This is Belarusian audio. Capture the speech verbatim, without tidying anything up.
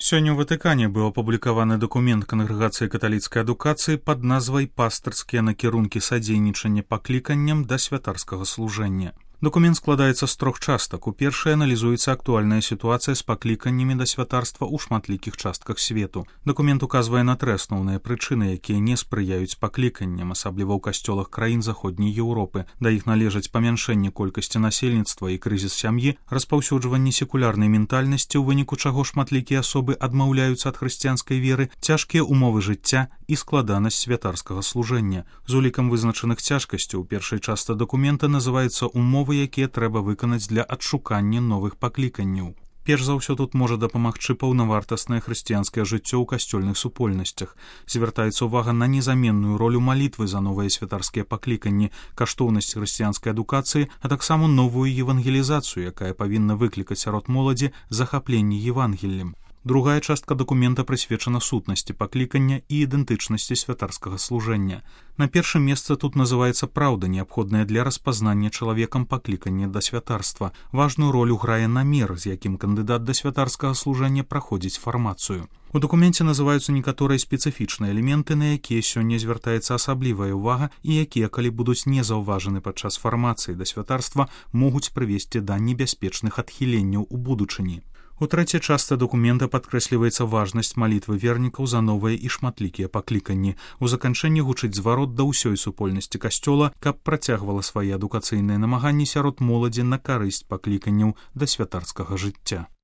Сёння ў Ватыкане быў апублікаваны дакумент Кангрэгацыі каталіцкай адукацыі пад назвай «Пастырскія накірункі садзейнічання пакліканням да святарскага служэння». Документ складаецца з трох частак. У першай аналізуецца актуальная сітуацыя з пакліканнямі да святарства ў шматлікіх частках свету. Документ указвае на тры асноўныя прычыны, якія не спрыяюць пакліканням, асабліва ў касцёлах краін заходняй Еўропы. Да іх належаць памяншэнне колькасці насельніцтва і крызіс сям'і, распаўсюджванне секулярнай ментальнасці, у выніку чаго шматлікія асобы адмаўляюцца ад хрысціянскай веры, цяжкія умовы жыцця і складанасць святарскага служэння. З улікам вызначаных цяжкасцяў у першай частцы дакумента называецца умовы, якія трэба выканаць для адшукання новых пакліканняў. Перш за ўсё тут можа дапамагчы паўнавартаснае хрысціянскае жыццё ў касцёльных супольнасцях. Звяртаецца ўвага на незаменную ролю малітвы за новыя святарскія пакліканні, каштоўнасць хрысціянскай адукацыі, а таксама новую евангелізацыю, якая павінна выклікаць сярод моладзі захапленне Евангеллем. Другая частка дакумента прысвечана сутнасці паклікання і ідэнтычнасці святарскага служэння. На першым месцы тут называецца праўда, неабходная для распазнання чалавекам паклікання да святарства. Важную ролю грае намер, з якім кандыдат да святарскага служэння праходзіць фармацыю. У дакуменце называюцца некаторыя спецыфічныя элементы, на якія сёння звяртаецца асаблівая ўвага і якія, калі будуць не заўважаны падчас фармацыі да святарства, могуць прывесці да небяспечных адхіленняў у будучыні. У трэцяй частцы дакумента падкрэсліваецца важнасць малітвы вернікаў за новыя і шматлікія пакліканні. У заканчэнні гучыць зварот да ўсёй супольнасці касцёла, каб працягвала свае адукацыйныя намаганні сярод моладзі на карысць пакліканняў да святарскага жыцця.